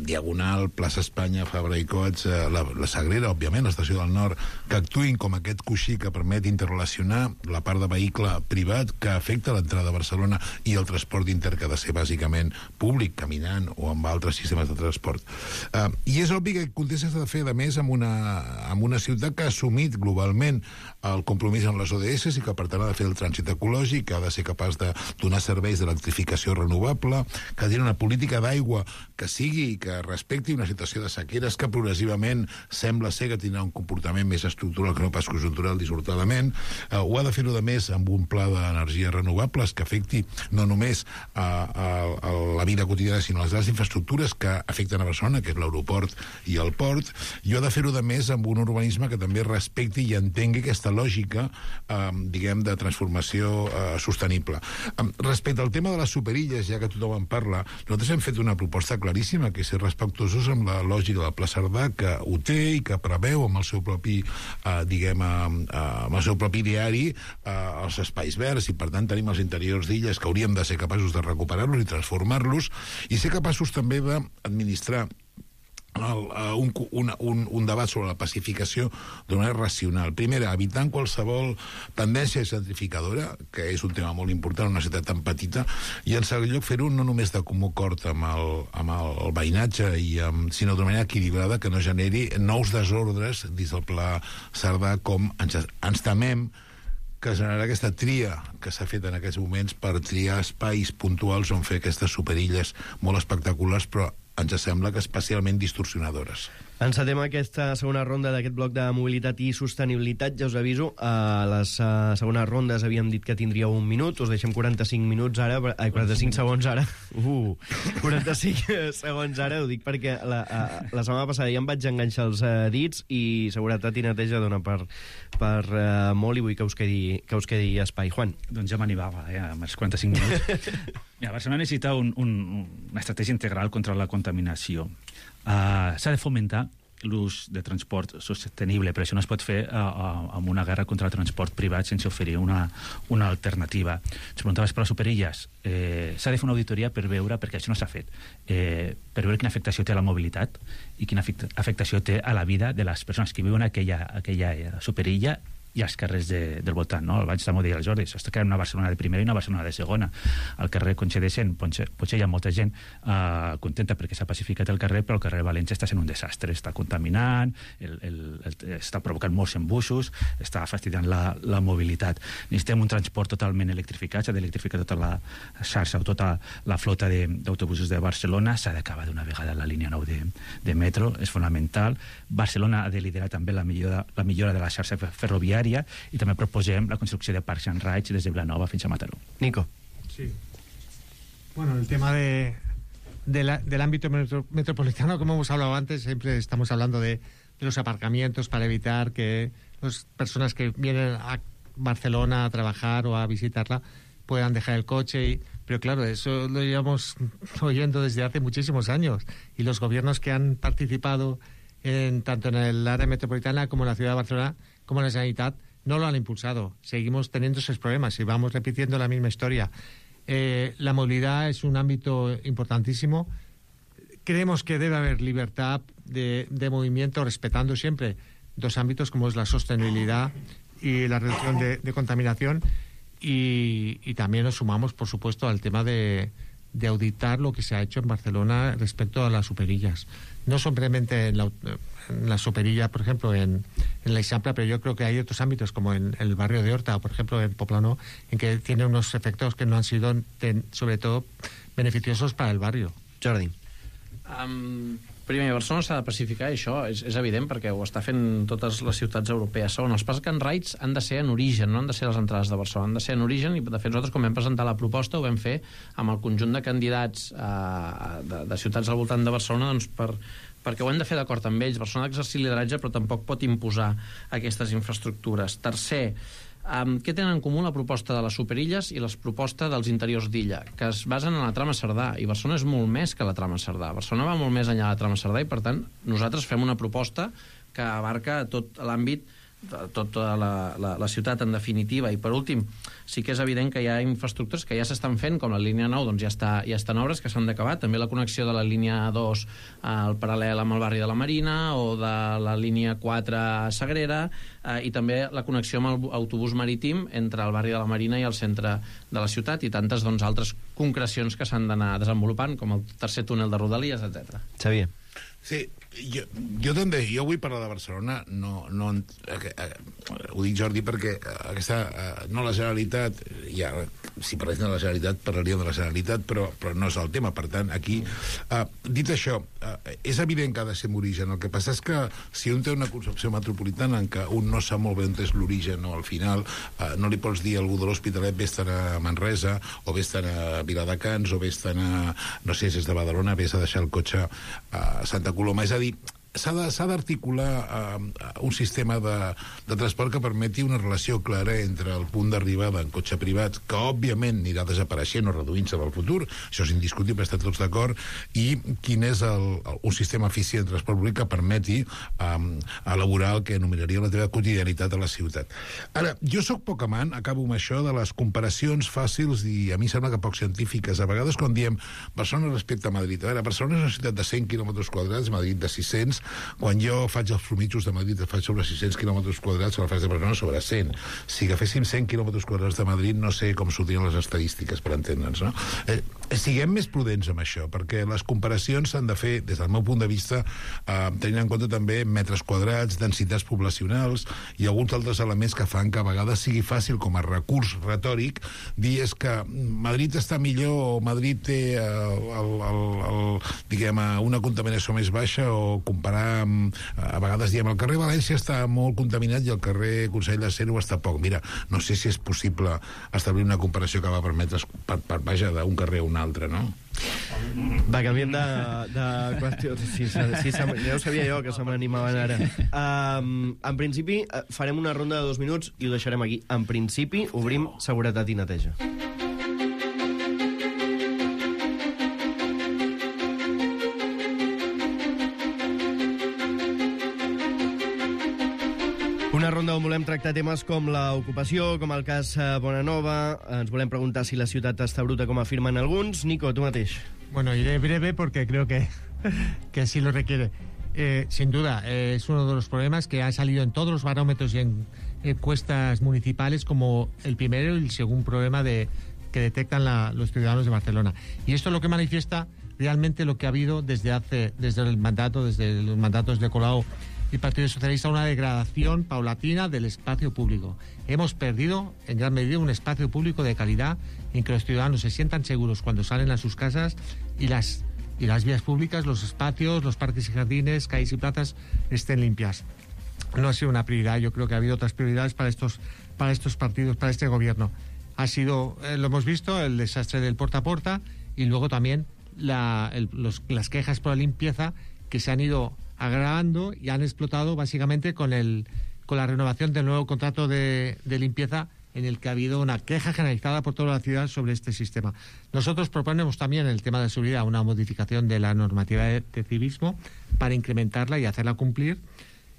diagonal, plaça Espanya, Fabra i Coats, la Sagrera, òbviament, l'estació del Nord, que actuïn com aquest coixí que permet interrelacionar la part de vehicle privat que afecta l'entrada a Barcelona i el transport inter que ha de ser bàsicament públic, caminant o amb altres sistemes de transport. I és obvi que aquest context s'ha de fer, a més, amb una ciutat que ha assumit globalment el compromís amb les ODS i que per tant ha de fer el trànsit ecològic, que ha de ser capaç de donar serveis d'electrificació renovable, que ha de tenir una política d'aigua que sigui i que respecti una situació de sequeres que progressivament sembla ser que tindrà un comportament més estructural que no pas conjuntural, dissortadament. Ho ha de fer-ho, de més, amb un pla d'energies renovables que afecti no només la vida quotidiana, sinó les grans infraestructures que afecten a Barcelona, que és l'aeroport i el port, i ho ha de fer-ho, de més, amb un urbanisme que també respecti i entengui aquesta lògica, diguem, de transformació sostenible. Respecte al tema de les superilles, ja que tothom en parla, nosaltres hem fet una proposta claríssima, que és ser respectuosos amb la lògica del Pla Cerdà, que ho té i que preveu amb el seu propi, amb el seu propi diari els espais verds, i per tant tenim els interiors d'illes que hauríem de ser capaços de recuperar-los i transformar-los, i ser capaços també d'administrar un debat sobre la pacificació d'una manera racional. Primera, evitant qualsevol tendència gentrificadora, que és un tema molt important en una ciutat tan petita, i en segon lloc fer-ho no només de comú acord amb el veïnatge, sinó d'una manera equilibrada que no generi nous desordres dins del Pla Cerdà, com ens temem que generarà aquesta tria que s'ha fet en aquests moments per triar espais puntuals on fer aquestes superilles molt espectaculars, però ens sembla que especialment distorsionadores. Encetem aquesta segona ronda d'aquest bloc de mobilitat i sostenibilitat. Ja us aviso, a les segones rondes havíem dit que tindríeu un minut, us deixem 45 minuts ara, 45 segons ara. 45 segons ara, ho dic perquè la setmana passada ja em vaig enganxar els dits i seguretat i neteja dona per molt, i vull que us quedi espai. Juan. Doncs ja m'animava, amb els 45 minuts. Mira, Barcelona necessita una estratègia integral contra la contaminació. S'ha de fomentar l'ús de transport sostenible, però això no es pot fer amb una guerra contra el transport privat sense oferir una alternativa. Ens preguntaves per les superilles. S'ha de fer una auditoria per veure, perquè això no s'ha fet, per veure quina afectació té a la mobilitat i quina afectació té a la vida de les persones que viuen a aquella superilla i als carrers del voltant, no? Abans també ho deia el Jordi, s'està creant una Barcelona de primera i una Barcelona de segona. Al carrer Conxa de Cent potser hi ha molta gent contenta perquè s'ha pacificat el carrer, però el carrer de València està sent un desastre, està contaminant, està provocant molts embussos, està fastidiant la mobilitat. Necessitem un transport totalment electrificat, s'ha d'electrificar tota la xarxa o tota la flota d'autobusos de Barcelona, s'ha d'acabar d'una vegada la línia 9 de metro, és fonamental. Barcelona ha de liderar també la millora de la xarxa ferroviària i també proposem la construcció de Parks and Rides des de Vilanova fins a Mataró. Nico. Sí. Bueno, el tema del ámbito metropolitano, como hemos hablado antes, siempre estamos hablando de los aparcamientos para evitar que las personas que vienen a Barcelona a trabajar o a visitarla puedan dejar el coche. Pero claro, eso lo llevamos oyendo desde hace muchísimos años. Y los gobiernos que han participado tanto en el área metropolitana como en la ciudad de Barcelona, como en la Generalitat, no lo han impulsado. Seguimos teniendo esos problemas y vamos repitiendo la misma historia. La movilidad es un ámbito importantísimo. Creemos que debe haber libertad de movimiento, respetando siempre dos ámbitos como es la sostenibilidad y la reducción de contaminación. Y también nos sumamos, por supuesto, al tema de auditar lo que se ha hecho en Barcelona respecto a las superillas. No simplemente en la superilla, por ejemplo, en la Eixample, pero yo creo que hay otros ámbitos, como en el barrio de Horta o, por ejemplo, en Poplano, en que tiene unos efectos que no han sido, sobre todo, beneficiosos para el barrio. Jordi. Primer, Barcelona s'ha de pacificar, i això és evident perquè ho està fent totes les ciutats europees. Segon, els Parks and Rides han de ser en origen, no han de ser les entrades de Barcelona, han de ser en origen, i de fet nosaltres quan vam presentar la proposta ho vam fer amb el conjunt de candidats de ciutats al voltant de Barcelona, doncs perquè ho hem de fer d'acord amb ells. Barcelona ha d'exercir lideratge però tampoc pot imposar aquestes infraestructures. Tercer, què tenen en comú la proposta de les superilles i les propostes dels interiors d'illa, que es basen en la trama Cerdà, i Barcelona és molt més que la trama Cerdà. Barcelona va molt més enllà de la trama Cerdà i, per tant, nosaltres fem una proposta que abarca tot l'àmbit, tota la ciutat en definitiva. I per últim, sí que és evident que hi ha infraestructures que ja s'estan fent, com la línia 9, doncs ja estan obres que s'han d'acabar, també la connexió de la línia 2 al paral·lel amb el barri de la Marina, o de la línia 4 a Sagrera, i també la connexió amb l'autobús marítim entre el barri de la Marina i el centre de la ciutat, i tantes altres concrecions que s'han d'anar desenvolupant, com el tercer túnel de Rodalies, etc. Xavier. Sí, jo també, jo vull parlar de Barcelona, ho dic, Jordi, perquè no la Generalitat, ja, si parléssim de la Generalitat parlaríem de la Generalitat, però no és el tema. Per tant, aquí, dit això, és evident que ha de ser en origen. El que passa és que si un té una concepció metropolitana en què un no sap molt bé on és l'origen, o al final no li pots dir a algú de l'Hospitalet vés-te'n a Manresa, o vés-te'n a Viladecans, o vés-te'n a, no sé si és de Badalona, vés a deixar el cotxe a Santa Coloma. És a dir, s'ha d'articular un sistema de transport que permeti una relació clara entre el punt d'arribada en cotxe privat, que òbviament anirà desapareixent o reduint-se en el futur, això és indiscutible, estem tots d'acord, i quin és un sistema eficient de transport públic que permeti elaborar el que anomenaria la teva quotidianitat a la ciutat. Ara, jo sóc poc amant, acabo amb això, de les comparacions fàcils i a mi sembla que poc científiques. A vegades quan diem Barcelona respecte a Madrid, a veure, Barcelona és una ciutat de 100 quilòmetres quadrats, Madrid de 600. Quan jo faig els mitjos de Madrid faig sobre 600 quilòmetres quadrats, la faig de Barcelona sobre 100. Si agaféssim 100 quilòmetres quadrats de Madrid, no sé com sortirien les estadístiques, per entendre'ns, no? Siguem més prudents amb això, perquè les comparacions s'han de fer, des del meu punt de vista, tenint en compte també metres quadrats, densitats poblacionals i alguns altres elements que fan que a vegades sigui fàcil, com a recurs retòric, dir és que Madrid està millor o Madrid té diguem, una contaminació més baixa, o comparar a vegades diem el carrer València està molt contaminat i el carrer Consell de Cent ho està poc. Mira, no sé si és possible establir una comparació que va permetre vaja, d'un carrer a un altre, no? Va, canviem de qüestió. Sí, ja ho sabia jo, que se m'animaven ara. En principi, farem una ronda de 2 minuts i ho deixarem aquí. En principi, obrim seguretat i neteja. Una ronda on volem tractar temes com l'ocupació, com el cas Bonanova. Ens volem preguntar si la ciutat està bruta, com afirmen alguns. Nico, tu mateix. Bueno, iré breve porque creo que así lo requiere. Sin duda, es uno de los problemas que ha salido en todos los barómetros y en encuestas municipales como el primero y el segundo problema que detectan los ciudadanos de Barcelona. Y esto es lo que manifiesta realmente lo que ha habido desde los mandatos de Colau y Partido Socialista, una degradación paulatina del espacio público. Hemos perdido en gran medida un espacio público de calidad en que los ciudadanos se sientan seguros cuando salen a sus casas y las vías públicas, los espacios, los parques y jardines, calles y plazas estén limpias. No ha sido una prioridad. Yo creo que ha habido otras prioridades para estos partidos, para este gobierno. Ha sido, lo hemos visto, el desastre del puerta a puerta y luego también las quejas por la limpieza que se han ido agravando y han explotado básicamente con la renovación del nuevo contrato de limpieza, en el que ha habido una queja generalizada por toda la ciudad sobre este sistema. Nosotros proponemos también en el tema de seguridad una modificación de la normativa de civismo para incrementarla y hacerla cumplir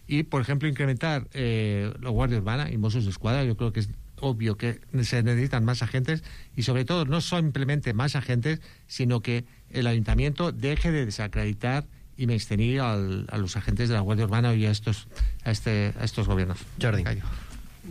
y, por ejemplo, incrementar la Guardia Urbana y Mossos d'Esquadra. Yo creo que es obvio que se necesitan más agentes y, sobre todo, no simplemente más agentes, sino que el Ayuntamiento deje de desacreditar i menystenir a los agentes de la Guàrdia Urbana i a estos gobiernos. Jordi.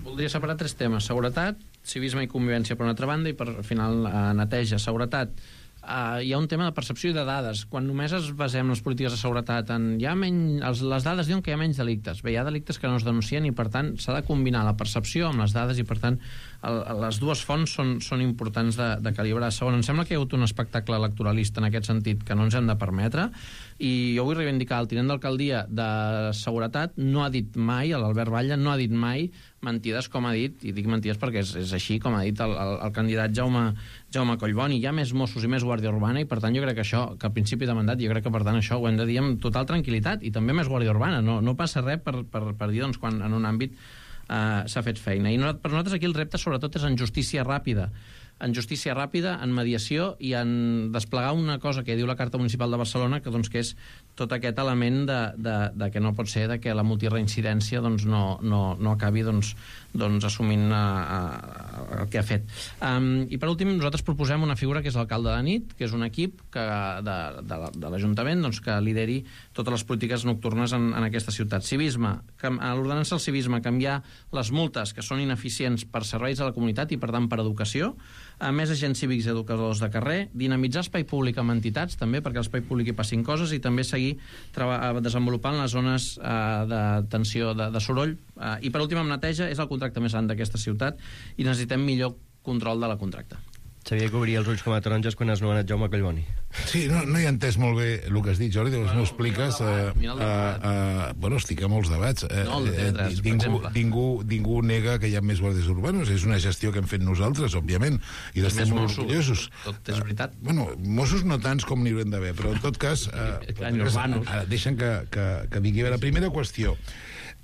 Voldria separar tres temes: seguretat, civisme i convivència per una altra banda i per al final neteja. Seguretat, hi ha un tema de percepció i de dades. Quan només es basem les polítiques de seguretat en les dades diuen que hi ha menys delictes. Bé, hi ha delictes que no es denuncien i per tant s'ha de combinar la percepció amb les dades i per tant les dues fonts són importants de calibrar. Segon, em sembla que hi ha hagut un espectacle electoralista en aquest sentit que no ens hem de permetre i jo vull reivindicar el tinent d'alcaldia de seguretat. No ha dit mai, l'Albert Batlle no ha dit mai mentides com ha dit, i dic mentides perquè és així com ha dit el candidat Jaume Collboni. Hi ha més Mossos i més Guàrdia Urbana i per tant jo crec que això, que al principi de mandat, jo crec que per tant això ho hem de dir amb total tranquil·litat i també més Guàrdia Urbana. No passa res per dir doncs, quan en un àmbit s'ha fet feina. I per nosaltres aquí el repte sobretot és en justícia ràpida, en mediació i en desplegar una cosa que diu la Carta Municipal de Barcelona, que és tot aquest element de que no pot ser de que la multireincidència no acabi assumint el que ha fet. I per últim, nosaltres proposem una figura que és l'alcalde de nit, que és un equip de l'Ajuntament que lideri totes les polítiques nocturnes en aquesta ciutat. Civisme, a l'ordenança del civisme, canviar les multes que són ineficients per serveis a la comunitat i per tant per educació, més agents cívics i educadors de carrer, dinamitzar espai públic amb entitats també perquè a l'espai públic hi passin coses i també seguir desenvolupant les zones de tensió de soroll i per últim amb neteja. És el contracte més gran d'aquesta ciutat i necessitem millor control de la contracta. Sabia que obria els ulls com a taronges quan has nomenat Jaume Collboni. Sí, no he entès molt bé el que has dit, Jordi, m'ho expliques. Bueno, estic a molts debats. Ningú nega que hi ha més guàrdies urbanos. És una gestió que hem fet nosaltres, òbviament, i d'estem molt orgullosos. Tot és veritat. Bueno, Mossos no tants com n'hi haurien d'haver, però en tot cas deixen que digui. La primera qüestió.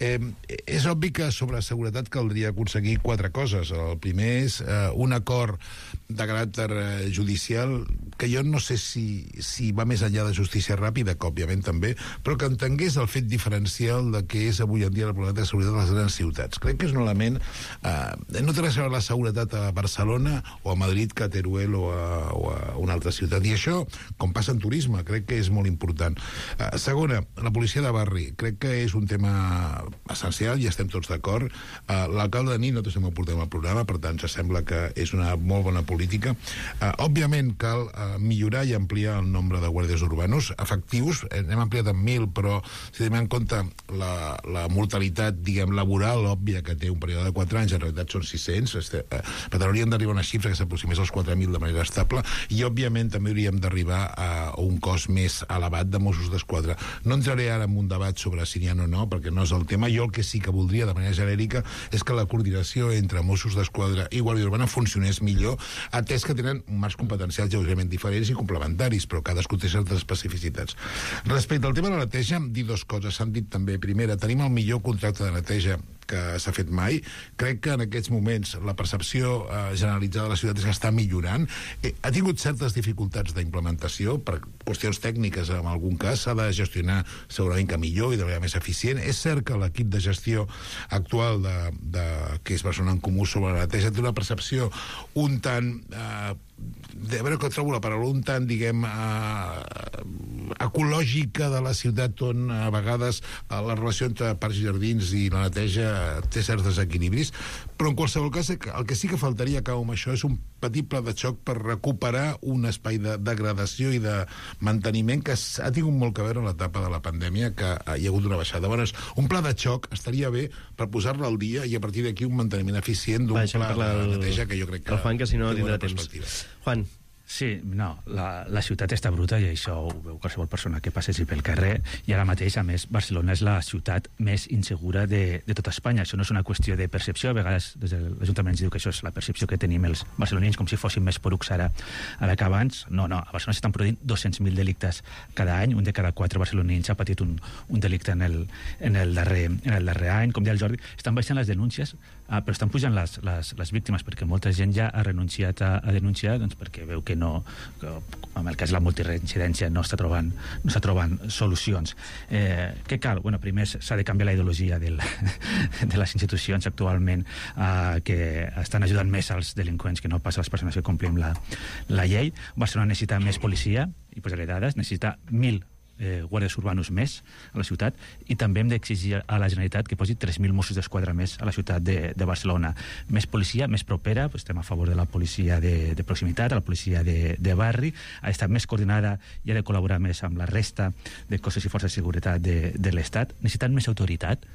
És obvi que sobre seguretat caldria aconseguir 4 coses. El primer és un acord de caràcter judicial que jo no sé si va més enllà de justícia ràpida, que òbviament també, però que entengués el fet diferencial de què és avui en dia la problemàtica de seguretat a les grans ciutats. Crec que és un element... no té res a veure la seguretat a Barcelona o a Madrid, que a Teruel o a una altra ciutat. I això, com passa en turisme, crec que és molt important. Segona, la policia de barri. Crec que és un tema essencial i estem tots d'acord. L'alcalde de nit no estem aportant al programa, per tant, ens sembla que és una molt bona política. Òbviament cal millorar i ampliar el nombre de guàrdies urbanos efectius. Hem ampliat en 1.000, però si tenim en compte la mortalitat, diguem, laboral òbvia que té un període de 4 anys, en realitat són 600, per tant hauríem d'arribar a una xifra que s'aproximés als 4.000 de manera estable i òbviament també hauríem d'arribar a un cost més elevat de Mossos d'Esquadra. No entraré ara en un debat sobre si n'hi ha o no, perquè no és el tema. Jo el que sí que voldria de manera genèrica és que la coordinació entre Mossos d'Esquadra i Guàrdia Urbana funcionés millor, atès que tenen marcs competencials lleugerament diferents i complementaris, però cadascú té certes especificitats. Respecte al tema de la neteja, dir 2 coses. S'han dit també. Primera, tenim el millor contracte de neteja que s'ha fet mai. Crec que en aquests moments la percepció generalitzada de la ciutat és que està millorant. Ha tingut certes dificultats d'implementació per qüestions tècniques, en algun cas s'ha de gestionar segurament que millor i de manera més eficient. És cert que l'equip de gestió actual que és Barcelona en Comú sobre la neteja té una percepció un tant... a veure que trobo la paraula, un tant, diguem, ecològica de la ciutat, on a vegades la relació entre parcs i jardins i la neteja té certs desequilibris, però en qualsevol cas el que sí que faltaria, acabo amb això, és un petit pla de xoc per recuperar un espai de degradació i de manteniment que ha tingut molt que veure en l'etapa de la pandèmia, que hi ha hagut una baixada. Llavors, un pla de xoc estaria bé per posar-lo al dia i a partir d'aquí un manteniment eficient d'un pla de neteja que jo crec que... El Juan, que si no tindrà temps. Juan. Sí, no, la ciutat està bruta i això ho veu qualsevol persona que passegi pel carrer, i ara mateix, a més, Barcelona és la ciutat més insegura de tota Espanya. Això no és una qüestió de percepció, a vegades des de l'Ajuntament ens diu que això és la percepció que tenim els barcelonins, com si fossin més porucs ara que abans. No, a Barcelona s'estan produint 200.000 delictes cada any, un de cada 4 barcelonins ha patit un delicte en el darrer any. Com deia el Jordi, estan baixant les denúncies, però estan pujant les víctimes, perquè molta gent ja ha renunciat a denunciar, doncs perquè veu que no, que en el cas de la multireincidència no està trobant solucions. Què cal? Bueno, primer s'ha de canviar la ideologia de les institucions actualment, que estan ajudant més als delinqüents que no pas a les persones que complim la llei. Barcelona necessita més policia, i posaré dades, necessita 1.000 guàrdies urbanos més a la ciutat, i també hem d'exigir a la Generalitat que posi 3.000 Mossos d'Esquadra més a la ciutat de Barcelona. Més policia, més propera, estem a favor de la policia de proximitat, la policia de barri, ha d'estar més coordinada i ha de col·laborar més amb la resta de cossos i forces de seguretat de l'Estat. Necessiten més autoritat.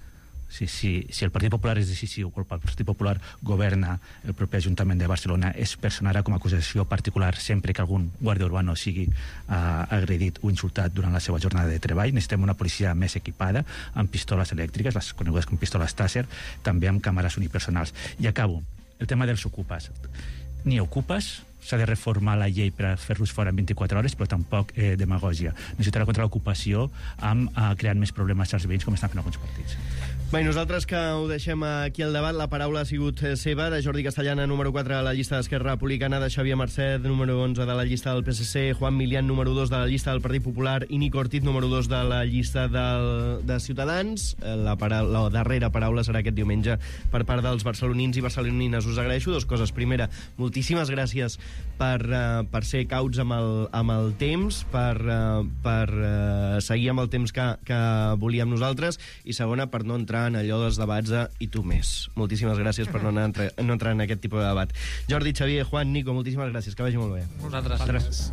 Si el Partit Popular és decisiu, o el Partit Popular governa el proper Ajuntament de Barcelona, es personarà com a acusació particular sempre que algun guàrdia urbano sigui agredit o insultat durant la seva jornada de treball. Necessitem una policia més equipada, amb pistoles elèctriques, les conegudes com pistoles Taser, també amb càmeres unipersonals. I acabo, el tema dels ocupes. Ni ocupes, s'ha de reformar la llei per fer-los fora en 24 hores, però tampoc demagògia. Necessitarà contra l'ocupació creant més problemes als veïns, com estan fent alguns partits. Bé, nosaltres que ho deixem aquí al debat, la paraula ha sigut seva, de Jordi Castellana, número 4 a la llista d'Esquerra Republicana, de Xavier Marcet, número 11 de la llista del PSC, Juan Milián, número 2 de la llista del Partit Popular, i Nico Ortiz, número 2 de la llista de Ciutadans. La darrera paraula serà aquest diumenge per part dels barcelonins i barcelonines. Us agraeixo dues coses. Primera, moltíssimes gràcies per ser cauts amb el temps, per seguir amb el temps que volíem nosaltres, i segona, per no entrar en allò dels debats i tu més. Moltíssimes gràcies per no entrar en aquest tipus de debat. Jordi, Xavier, Juan, Nico, moltíssimes gràcies, que vagi molt bé. Vosaltres.